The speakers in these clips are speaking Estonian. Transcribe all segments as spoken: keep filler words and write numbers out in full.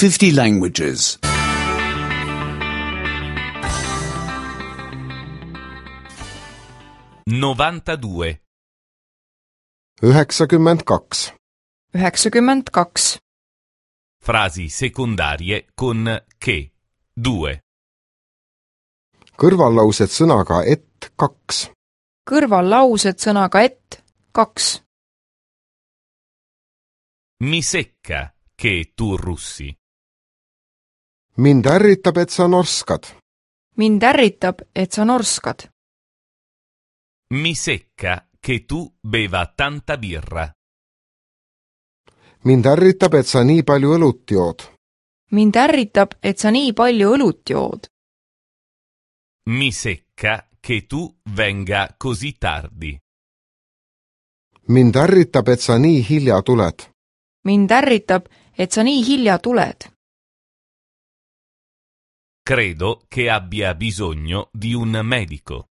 fifty languages. novantadue. üheksakümmend kaks. üheksakümmend kaks. Frasi secondarie con che. Due. Kõrvallaused sõnaga et kaks. Kõrvallaused sõnaga et kaks. Mi secca che tu russi. Mind ärritab, et sa norskad. Mind ärritab, et sa norskad. Mi secca che tu beva tanta birra. Mind ärritab, et sa nii palju õlut jood. Mind ärritab, et sa nii palju õlut jood. Mi secca che tu venga così tardi. Mind ärritab, et sa nii hilja tuled. Mind ärritab, et sa nii hilja tuled. Credo che abbia bisogno di un medico.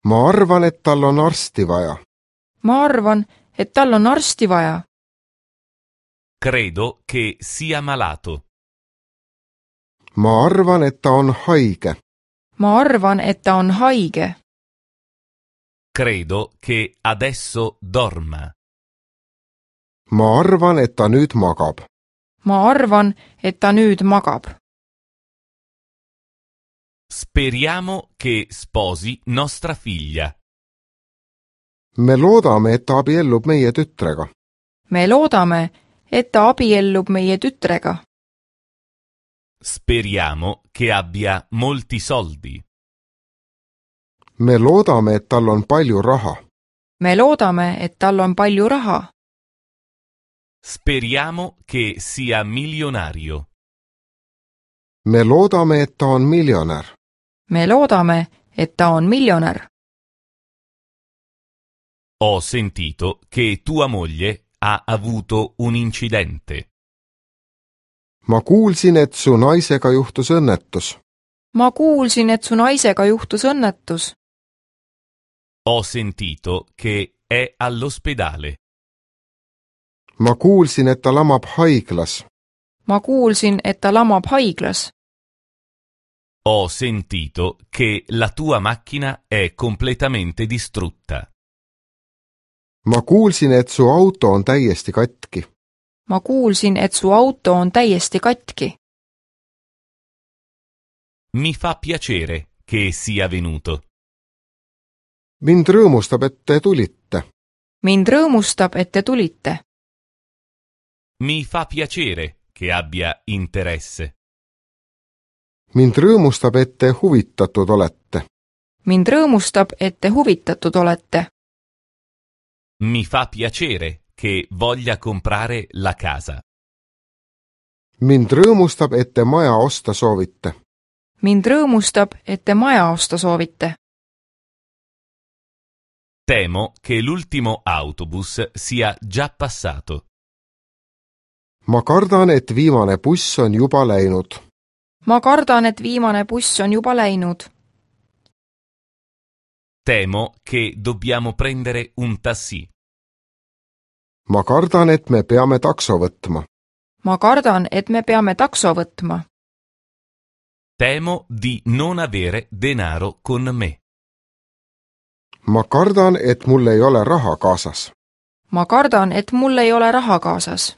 Ma arvan, et tal on arsti vaja. Ma arvan, et tal on arsti vaja. Credo che sia malato. Ma arvan, et ta on haige. Ma arvan, et ta on haige. Credo che adesso dorma. Ma arvan, et ta nüüd magab. Ma arvan, et ta nüüd magab. Speriamo che sposi nostra figlia. Me loodame, et ta abiellub meie tütrega. Me loodame, et ta abiellub meie tütrega. Speriamo che abbia molti soldi. Me loodame, et tal on palju raha. Me loodame, et tal on palju raha. Speriamo che sia milionario. Me loodame, et ta on miljonär. Me loodame, et ta on miljonär. Ho sentito che tua moglie ha avuto un incidente. Ma kuulsin, et su naisega juhtus õnnetus. Ma kuulsin, et su naisega juhtus õnnetus. Ho sentito che è all'ospedale. Ma kuulsin, et ta lamab haiglas. Ma kuulsin, et ta lamab haiglas. Ho sentito che la tua macchina è completamente distrutta. Ma kuulsin, et su auto on täiesti katki. Ma kuulsin, et su auto on täiesti katki. Mi fa piacere che sia venuto. Mind rõõmustab, et te tulite. Mind rõõmustab, et te tulite. Mi fa piacere che abbia interesse. Mind rõõmustab, et te huvitatud olete. Mind rõõmustab, et te huvitatud olete. Mi fa piacere che voglia comprare la casa. Mind rõõmustab, et te maja osta soovite. Mind rõõmustab, et te maja osta soovite. Temo che l'ultimo autobus sia già passato. Ma kardan, et viimane buss on juba läinud. Ma kardan, et viimane buss on juba läinud. Temo che dobbiamo prendere un taxi. Ma kardan, et me peame takso võtma. Ma kardan, et me peame takso võtma. Temo di non avere denaro con me. Ma kardan, et mul ei ole raha kaasas. Ma kardan, et mul ei ole raha kaasas.